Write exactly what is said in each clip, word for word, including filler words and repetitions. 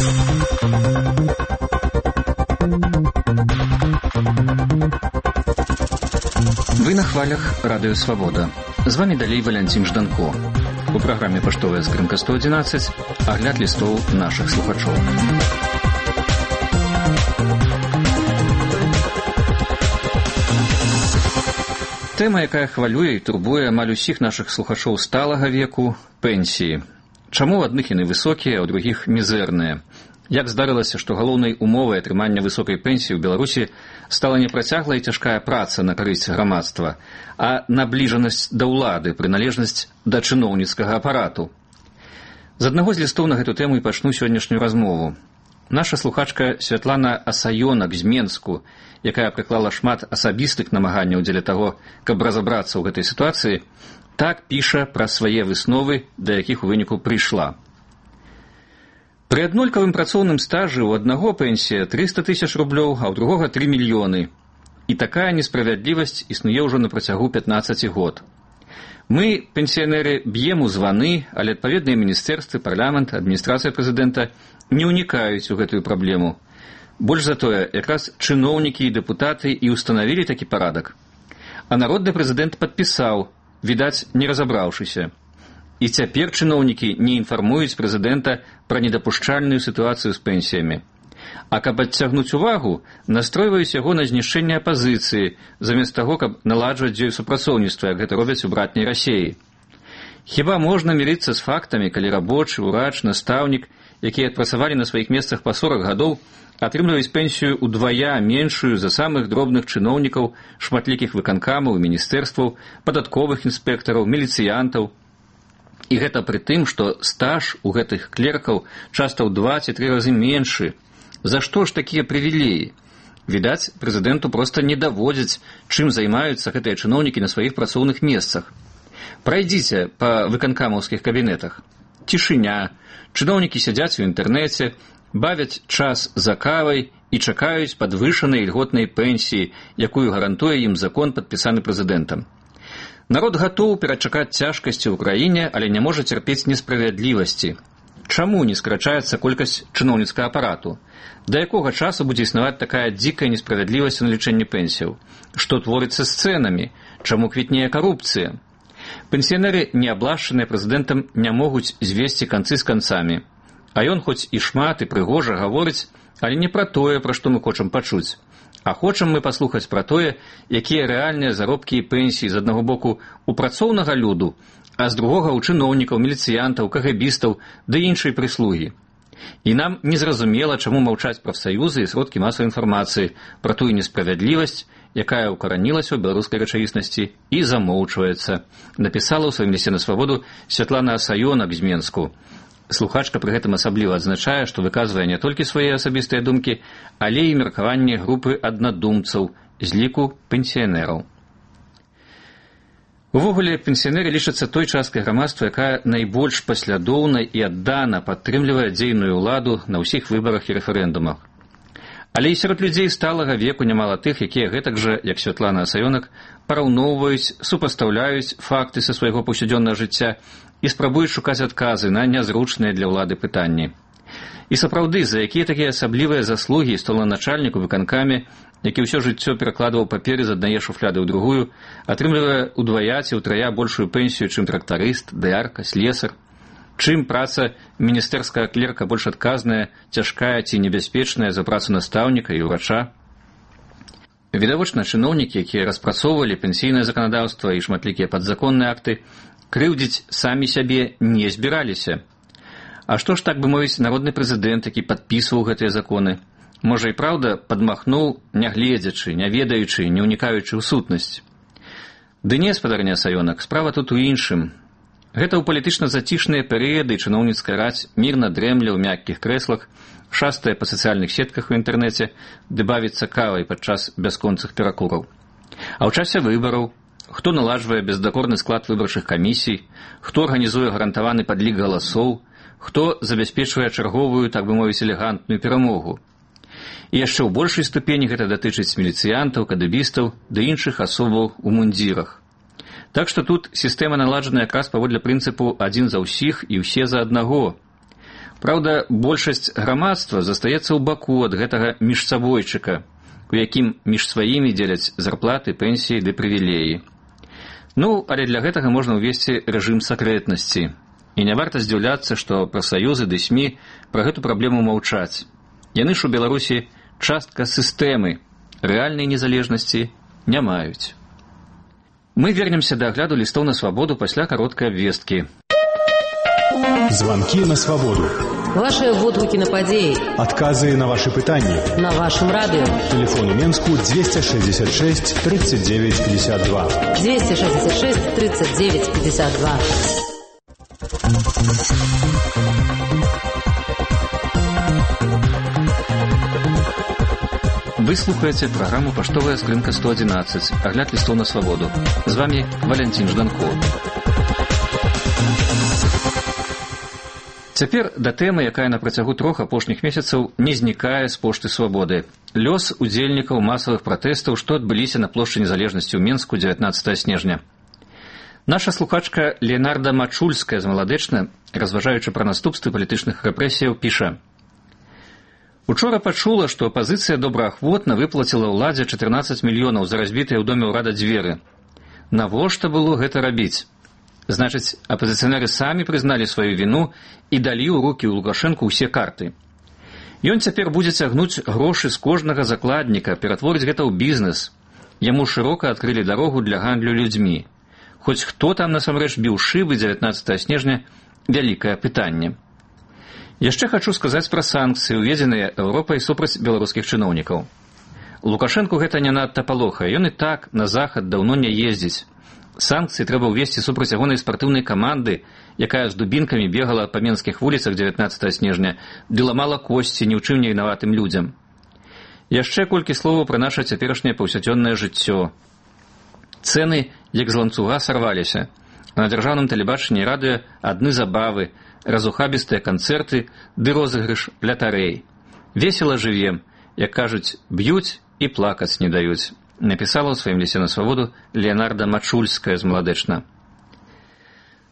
Вы на хвалях Радио Свобода. З вами далей Валянцін Жданко. У праграме «Паштовая скрынка сто одиннадцать» агляд лістоў нашых слухачоў. Тэма, якая хвалюе і турбуе амаль усіх нашых слухачоў сталага веку – пенсіі. Чаму ў адных яны высокія, а ў другіх мізэрныя? Як здарылася, што галоўнай умовай атрымання высокай пенсіі ў Беларусі стала не працяглая і цяжкая праца на карысць грамадства, а набліжанасць да ўлады, прыналежнасць да чыноўніцкага апарату. З аднаго з лістоў на гэту тэму і пачну сённяшнюю размову. Наша слухачка Святлана Асаёнак з Менску, якая прыклала шмат асабістых намаганняў дзеля таго, каб разабрацца ў гэтай сітуацыі, так піша пра свае высновы, да якіх у выніку прыйшла. Пры аднолькавым працоўным стажы ў аднаго пенсія трыста тысяч рублёў, а ў другога тры мільёны. І такая несправядлівасць існуе ўжо на працягу пятнаццаць год. Мы, пенсіянеры, б'ем у званы, але адпаведныя міністэрствы, парламент, адміністрацыя прэзідэнта не ўнікаюць у гэтую праблему. Больш за тое, якраз чыноўнікі і дэпутаты і ўстанавілі такі парадак. А народны прэзідэнт падпісаў, відаць, не разабраўшыся. І цяпер чыноўнікі не інфармуюць прэзідэнта пра недапушчальную сітуацыю з пенсіямі. А каб адцягнуць увагу, настройваюць яго на знішчэнне апазіцыі, замест таго, каб наладжваць з ёй супрацоўніцтва, як гэта робяць у братняй Расіі. Хіба можна мірыцца з фактамі, калі рабочы, урач, настаўнік, якія адпрацавалі на сваіх месцах па сорак гадоў, атрымліваюць пенсію ўдвая меншую за самых дробных чыноўнікаў, шматлікіх выканкамаў, міністэрстваў, падатковых інспектараў, міліцыянтаў. І гэта пры тым, што стаж у гэтых клеркаў часта ў два ці тры разы меншы. За што ж такія прывілеі? Відаць, прэзідэнту проста не даводзяць, чым займаюцца гэтыя чыноўнікі на сваіх працоўных месцах. Прайдзіце па выканкамаўскіх кабінетах. Цішыня, чыноўнікі сядзяць у інтэрнэце, бавяць час за кавай і чакаюць падвышанай ільготнай пенсіі, якую гарантуе ім закон, падпісаны прэзідэнтам. Народ гатоў перачакаць цяжкасці ў краіне, але не можа цярпець несправядлівасці. Чаму не скарачаецца колькасць чыноўніцкага апарату? Да якога часу будзе існаваць такая дзікая несправядлівасць у налічэнні пенсіяў? Што творыцца з цэнамі? Чаму квітнее карупцыя? Пенсіянеры, не аблашчаныя прэзідэнтам, не могуць звесці канцы з канцамі. А ён хоць і шмат і прыгожа гаворыць, але не пра тое, пра што мы хочам пачуць. А хочам мы паслухаць пра тое, якія рэальныя заробкі і пенсіі з аднаго боку у працоўнага люду, а з другога ў чыноўнікаў, міліцыянтаў, кагабістаў ды іншай прыслугі. І нам незразумела, чаму маўчаць прафсаюзы і сродкі масавай інфармацыі пра тую несправядлівасць, якая ўкаранілася ў беларускай рэчаіснасці і замоўчваецца, напісала ў сваім лісце на свабоду Святлана Асаёнак з Менску. Слухачка пры гэтым асабліва адзначае, што выказвае не толькі свае асабістыя думкі, але і меркаванне групы аднадумцаў з ліку пенсіянераў. Увогуле, пенсіянеры лічацца той часткай грамадства, якая найбольш паслядоўна і аддана падтрымлівае дзейную ўладу на ўсіх выбарах і рэферэндумах. Але і сярод людзей сталага веку нямала тых, якія гэтак жа, як Святлана Асаёнак, параўноўваюць, супастаўляюць факты са свайго паўсядзённага жыцця і спрабуюць шукаць адказы на нязручныя для ўлады пытанні. І сапраўды, за якія такія асаблівыя заслугі столаначальніку выканкамі, які ўсё жыццё перакладваў паперы з аднае шуфляды ў другую, атрымлівае ўдвая ці ўтрая большую пенсію, чым трактарыст, даярка, слесар, чым праца міністэрскага клерка больш адказная, цяжкая ці небяспечная за працу настаўніка і ўрача. Відавочна, чыноўнікі, якія распрацоўвалі пенсійнае заканадаўства і шматлікія падзаконныя акты, крыўдзіць самі сябе не збіраліся. А што ж, так бы мовіць, народны прэзідэнт, які падпісваў гэтыя законы? Можа і праўда, падмахнуў, не гледзячы, не ведаючы, не ўнікаючы ў сутнасць. Ды не, спадарня Асаёнак, справа тут у іншым. Гэта ў палітычна зацішныя перыяды чыноўніцкая раць мірна дрэмля ў мяккіх крэслах, шастае па сацыяльных сетках у інтэрнэце, ды бавіцца кавай падчас бясконцых перакураў. А ў часе выбараў хто наладжвае бездакорны склад выбарчых камісій, хто арганізуе гарантаваны падлік галасоў, хто забяспечвае чарговую, так бы мовіць, элегантную перамогу. І яшчэ ў большай ступені гэта датычыць міліцыянтаў, кадэбістаў ды іншых асобаў у мундзірах. Так што тут сістэма наладжана якраз паводле прынцыпу «адзін за ўсіх і ўсе за аднаго». Праўда, большасць грамадства застаецца ў баку ад гэтага міжсабойчыка, у якім між сваімі дзеляць зарплаты, пенсіі ды прывілеі. Ну, але для гэтага можна ўвесці рэжым сакрэтнасці. І не варта здзіўляцца, што прафсаюзы ды СМІ пра гэту праблему маўчаць. Яны ж у Беларусі частка сістэмы, рэальнай незалежнасці не маюць. Мы вернемся да агляду лістоў на свабоду пасля кароткай абвесткі. Звонки на свободу. Ваши водгуки на падеи. Отказы на ваши пытания. На вашем радио. Телефон у Менску двести шестьдесят шесть тридцать девять пятьдесят два. двести шестьдесят шесть тридцать девять пятьдесят два. Вы слухаете программу «Поштовая скрынка сто одиннадцать». Огляд листов на свободу. С вами Валентин Жданко. Цяпер да тэмы, якая на працягу трох апошніх месяцаў не знікае з пошты свабоды. Лёс удзельнікаў масавых пратэстаў, што адбыліся на плошчы незалежнасці ў Менску дзевятнаццатага снежня. Наша слухачка Леонарда Мачульская з Маладэчна, разважаючы пра наступствы палітычных рэпрэсіяў, піша: «Учора пачула, што апазіцыя добраахвотна выплаціла ўладзе чатырнаццаць мільёнаў за разбітыя ў доме ўрада дзверы. Навошта было гэта рабіць? Значыць, апазіцыянеры самі прызналі сваю віну і далі ў рукі ў Лукашэнку ўсе карты. Ён цяпер будзе цягнуць грошы з кожнага закладніка, ператворыць гэта ў бізнес. Яму шырока адкрылі дарогу для гандлю людзьмі. Хоць хто там насамрэч біў шыбы дзевятнаццатага снежня – вялікае пытанне. Яшчэ хачу сказаць пра санкцыі, уведзеныя Еўропай супраць беларускіх чыноўнікаў. Лукашэнку гэта не надта палохае, ён і так на захад даўно не ездзіць. Санкцыі трэба ўвесці супраць ягонай спартыўнай каманды, якая з дубінкамі бегала па менскіх вуліцах дзевятнаццатага снежня, ды ламала косці ні ў чым не вінаватым людзям. Яшчэ колькі словаў пра наша цяперашняе паўсядзённае жыццё. Цэны, як з ланцуга, сарваліся. На дзяржаўным тэлебачанні і радыё адны забавы, разухабістыя канцэрты ды розыгрыш лятарэй. Весела жывем, як кажуць, б'юць і плакаць не даюць. Напісала ў сваім лісце на свабоду Леонарда Мачульская з Маладэчна.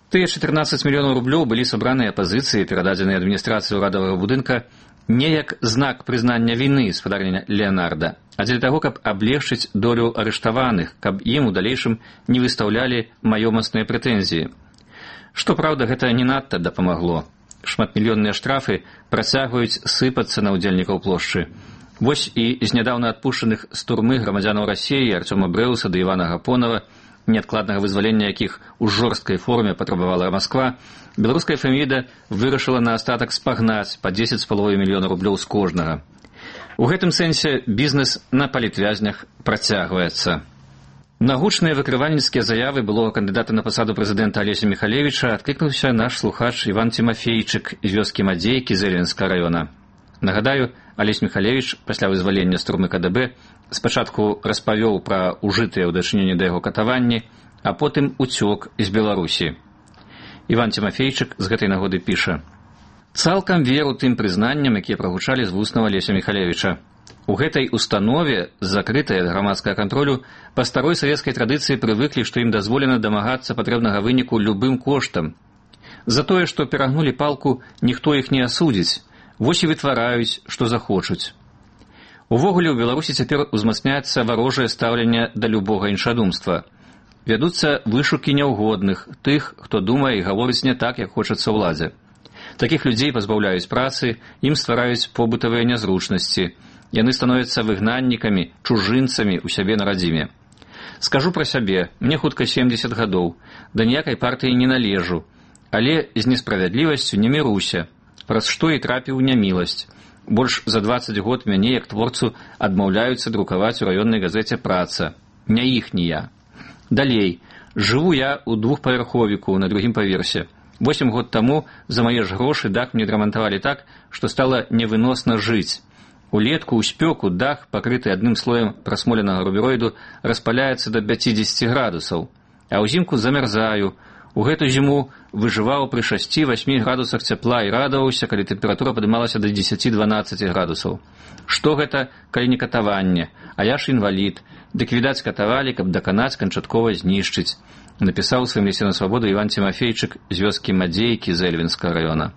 Тыя чатырнаццаць мільёнаў рублёў былі сабраныя апазіцыі, перададзеныя адміністрацыі ўрадавага будынка не як знак прызнання віны спадарня Леонарда, а дзеля таго, каб аблегчыць долю арыштаваных, каб ім у далейшым не выстаўлялі маёмасныя прэтэнзіі. Што праўда, гэта не надта дапамагло. Шматмільённыя штрафы працягваюць сыпацца на ўдзельнікаў плошчы. Вось і з нядаўна адпушчаных з турмы грамадзянаў Расіі Артёма Брэуса ды Івана Гапонова, неадкладнага вызвалення якіх у жорсткай форме патрабавала Масква, беларуская фамілія вырашыла на астатак спагнаць па дзесяць з паловай мільёна рублёў з кожнага. У гэтым сэнсе бізнес на палітвязнях працягваецца. На гучныя выкрывальніцкія заявы былога кандыдата на пасаду прэзідэнта Алеся Міхалевіча адклікнуўся наш слухач Іван Тимофейчык з вёскі Мадзейкі Зэльвенскага раёна. Нагадаю, Алесь Міхалевіч пасля вызвалення з турмы ка дэ бэ спачатку распавёў пра ўжытыя ў дачыненні да яго катаванні, а потым уцёк з Беларусі. Іван Тимофейчык з гэтай нагоды піша: «Цалкам веру тым прызнанням, якія прагучалі з вуснаў Алеся Міхалевіча. У гэтай установе, закрытай ад грамадскага кантролю, па старой савецкай традыцыі прывыклі, што ім дазволена дамагацца патрэбнага выніку любым коштам. За тое, што перагнулі палку, ніхто іх не асудзіць. Вось і вытвараюць, што захочуць. Увогуле, у Беларусі цяпер узмацняецца варожае стаўленне да любога іншадумства. Вядуцца вышукі няўгодных, тых, хто думае і гаворыць не так, як хочацца ўладзе. Такіх людзей пазбаўляюць працы, ім ствараюць побытавыя нязручнасці. Яны становяцца выгнаннікамі, чужынцамі ў сябе на радзіме. Скажу пра сябе, мне хутка семдзесят гадоў, да ніякай партыі не належу, але з несправядлівасцю не міруся, праз што і трапіў няміласць. Больш за дваццаць год мяне, як творцу, адмаўляюцца друкаваць у раённай газеце «Праца». Не іхні я. Далей. Жыву я ў двухпавярховіку на другім паверсе. Восем год таму за мае ж грошы дах мне драмантавалі так, што стала невыносна жыць. Улетку ў спёку дах, пакрыты адным слоем прасмоленага рубероіду, распаляецца да пяцідзесяці градусаў. А ўзімку замярзаю. У гэту зіму выжываў пры шасці-васьмі градусах цяпла і радаваўся, калі тэмпература падымалася да дзесяці-дванаццаці градусаў. Што гэта, калі не катаванне? А я ж інвалід. Дык, відаць, катавалі, каб даканаць, канчаткова знішчыць. Напісаў у сваім лісце на свабоду Іван Тимофейчык з вёскі Мадзейкі Зэльвенскага раёна.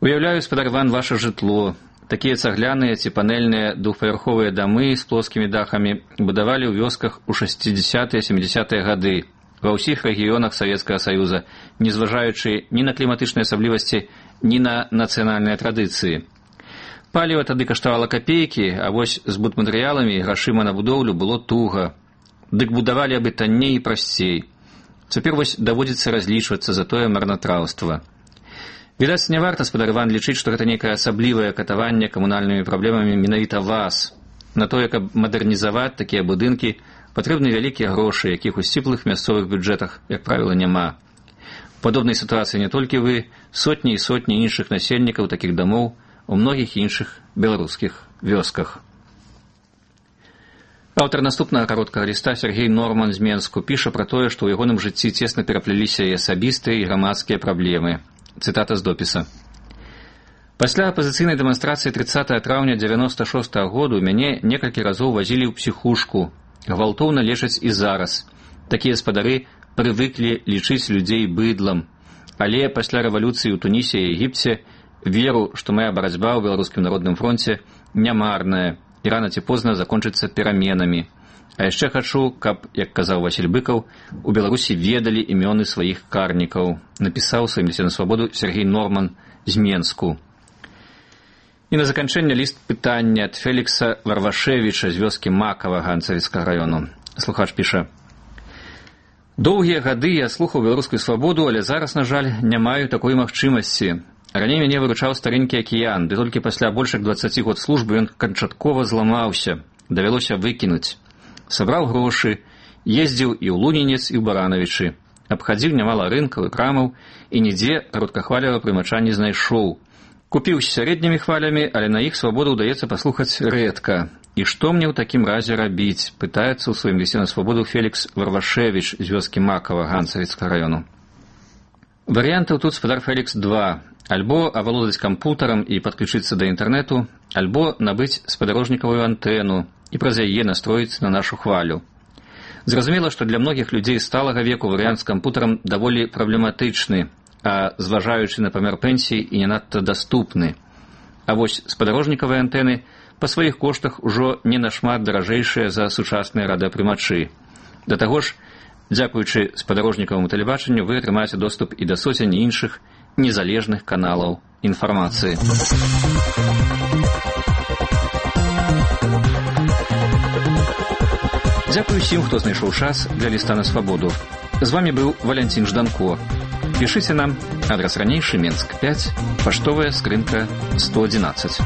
Уяўляю, спадар Іван, ваша жытло. Такія цагляныя ці панельныя двухпавярховыя дамы з плоскімі дахамі будавалі ў вёсках у шэсцідзясятыя-сямідзясятыя гады ва ўсіх рэгіёнах Савецкага Саюза, не зважаючы ні на кліматычныя асаблівасці, ні на нацыянальныя традыцыі. Паліва тады каштавала капейкі, а вось з будматэрыяламі і грашыма на будоўлю было туга. Дык будавалі абы танней і прасцей. Цяпер вось даводзіцца разлічвацца за тое марнатраўства. Відаць, не варта, спадар Іван, лічыць, што гэта нейкае асаблівае катаванне камунальнымі праблемамі менавіта вас. На тое, каб мадэрнізаваць такія будынкі, патрэбны вялікія грошы, якіх у сціплых мясцовых бюджэтах, як правіла, няма. У падобнай сітуацыі не толькі вы, сотні і сотні іншых насельнікаў такіх дамоў у многіх іншых беларускіх вёсках. Аўтар наступнага кароткага ліста Сергей Норман з Менску піша пра тое, што ў ягоным жыцці цесна перапляліся і асабістыя, і грамадскія праблемы. Цытата з допіса. Пасля апазіцыйнай дэманстрацыі трыццатага траўня дзевяноста шостага году мяне некалькі разоў вазілі ў псіхушку. Гвалтоўна лечаць і зараз. Такія спадары прывыклі лічыць людзей быдлам. Але пасля рэвалюцыі ў Тунісе і Егіпце веру, што моя барацьба ў Беларускім народным фронце нямарная і рана ці позна закончыцца пераменамі. А яшчэ хачу, каб, як казаў Васіль Быкаў, у Беларусі ведалі імёны сваіх карнікаў, напісаў сваім лісце на свабоду Сергей Норман з Менску. І на заканчэнне ліст пытання ад Фелікса Варвашевіча з вёскі Макава Ганцавіцкага раёну. Слухач піша: «Доўгія гады я слухаў беларускую свабоду, але зараз, на жаль, не маю такой магчымасці. Раней мяне выручаў старенькі акіян, ды толькі пасля больш як дваццаці год службы ён канчаткова зламаўся, давялося выкінуць. Сабраў грошы, ездзіў і ў Лунінец, і ў Баранавічы. Абхадзіў нямала рынкаў і крамаў, і нідзе кароткахвалевага прымача не знайшоў. Купіў з сярэднімі хвалямі, але на іх свабоду ўдаецца паслухаць рэдка. І што мне ў такім разе рабіць?» — пытаецца ў сваім лісце на свабоду Фелікс Варвашевіч з вёскі Макава Ганцавіцкага раёну. Варыянтаў тут, спадар Фелікс, два. Альбо авалодаць кампутарам і падключыцца да інтэрнэту, альбо набыць спадарожнікавую антэну і праз яе настроіць на нашу хвалю. Зразумела, што для многіх людзей сталага веку варыянт з кампутарам даволі праблематычны, а зважаючы на памер пенсіі і не надта даступны. А вось спадарожнікавыя антэны па сваіх коштах ужо не нашмат даражэйшыя за сучасныя радыёпрымачы. Да таго ж, дзякуючы спадарожнікаваму тэлебачанню, вы атрымаеце доступ і да соцень іншых незалежных каналаў інфармацыі. Дзякую усім, хто знайшоў час для ліста на свабоду. З вами быў Валянцін Жданко. Пішыце нам, адрас ранейшы, Менск пяць, паштовая скрынка сто адзінаццаць.